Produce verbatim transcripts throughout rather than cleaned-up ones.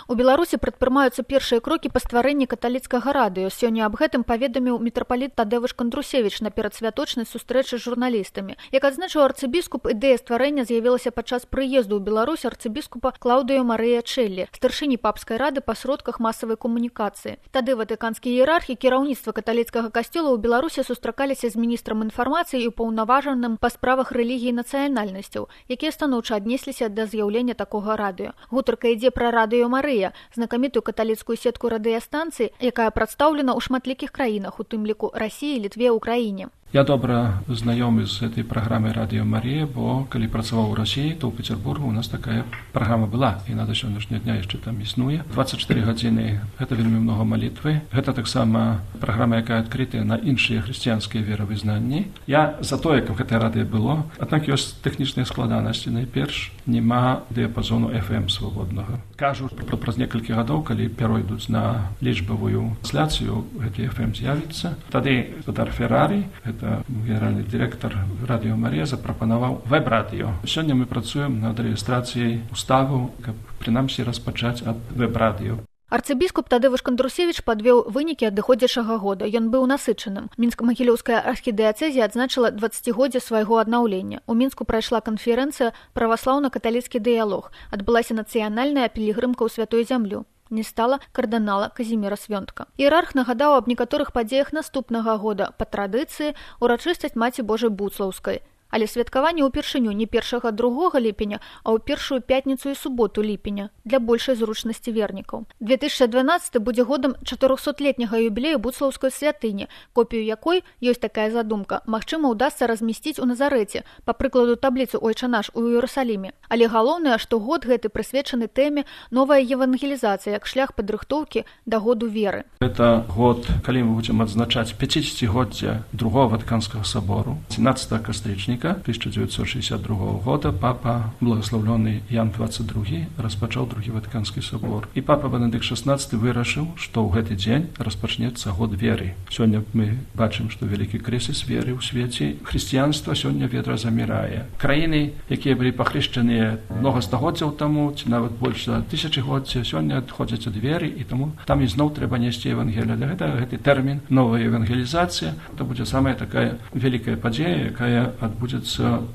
У Беларусі прадпрымаюцца першыя крокі па стварэнні каталіцкага радыё. Сёння аб гэтым паведаміў мітрапаліт Тадзеуш Кандрусевіч на перадсвяточнай сустрэчы з журналістамі. Як адзначыў арцыбіскуп, ідэя стварэння з'явілася падчас прыезду ў Беларусь арцыбіскупа Клаўдыё Марыя Чэллі, старшыні папскай рады па сродках масавай камунікацыі. Тады ватыканскія іерархі кіраўніцтва каталіцкага касцёла ў Беларусі сустракаліся з міністрам інфармацыі і ўпаўнаважаным па справах рэлігіі і нацыянальнасцяў, якія станоўча аднесліся да з'яўлення такога радыё. Гутарка ідзе пра радыё Марыя, знакамітую каталіцкую сетку радыёстанцый, якая прадстаўлена ў шматлікіх краінах, у тым ліку Расіі, Літве, Украіне. Я добра знаёмы з этой праграмай «Радыё Марія», бо калі працаваў у Расіі, то ў Петербургу у нас такая праграма была, і на да сённяшняга дня яшчэ там існуе. дваццаць чатыры гадзіны – гэта вельмі многа малітвы. Гэта таксама праграма, якая адкрытая на іншыя хрысціянскія веравызнанні. Я за тое, каб гэтае радыё было, аднак ёсць тэхнічныя складанасці. Найперш, няма дыяпазону эф эм свабоднага. Кажу, праз некалькі гадоў, калі перайдуць на лічбавую трансляцыю, гэты эф эм з'явіцца. Тады Тодар Феррарі, генеральны дырэктар «Радыё Марія», запрапанаваў вэб-радыё. Сёння мы працуем над рэгістрацыяй уставу, каб прынамсі распачаць ад вэб-радыё. Арцыбіскуп Тадзеуш Кандрусевіч падвёў вынікі адыходзячага года. Ён быў насычаным. Мінска-Магілёўская архідыяцэзія адзначыла дваццацігоддзе свайго аднаўлення. У Мінску прайшла канферэнцыя «Праваслаўна-каталіцкі дыялог». Адбылася нацыянальная пілігрымка ў святую зямлю. Не стала кардынала Казіміра Свёнтка. Іерарх нагадаў аб некаторых падзеях наступнага года, па традыцыі урачыстасць Маці Божай Буцлаўскай. Але святкаванне ўпершыню не першага другога ліпеня, а ў першую пятніцу і суботу ліпеня для большай зручнасці вернікаў. две тысячы дванаццаты будзе годам чатырохсотлетняга юбілею Буцлаўскай святыні, копію якой, ёсць такая задумка, магчыма ўдасца размясціць у Назарэце, па прыкладу табліцы «Ойча наш» у Іерусаліме. Але галоўнае, што год гэты прысвечаны тэме новая евангелізацыя як шлях падрыхтоўкі да году веры. Это год, калі мы будзем адзначаць пяцідзесяцігоддзе другого Ватыканскага сабору, семнадцатого кастрычніка тысяча девятьсот шестьдесят другого года папа, благословленный Ян двадцать другі, распачаў другі Ватыканскі собор. І папа Бенедыкт шестнадцаты вырашыў, што ў гэты дзень распачнецца год веры. Сёння мы бачым, што вялікі крызіс веры ў свеце. Хрысціянства сёння ведра замірае. Краіны, якія былі пахрышчаныя многа стагоддзяў таму, ці нават больш за тысячагоддзя, сёння адходзяць ад веры, і таму там ізноў трэба несці евангелія. Для гэтага гэты тэрмін новая евангелізацыя, это будзе самая такая вялікая падзея, якая адбудзецца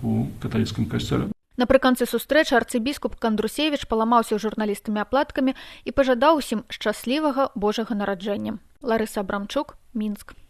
у каталіцкім касцёле. Напрыканцы сустрэчы арцыбіскуп Кандрусевіч паламаўся з журналістамі аплаткамі і пажадаў усім шчаслівага Божага нараджэння. Ларыса Абрамчук, Мінск.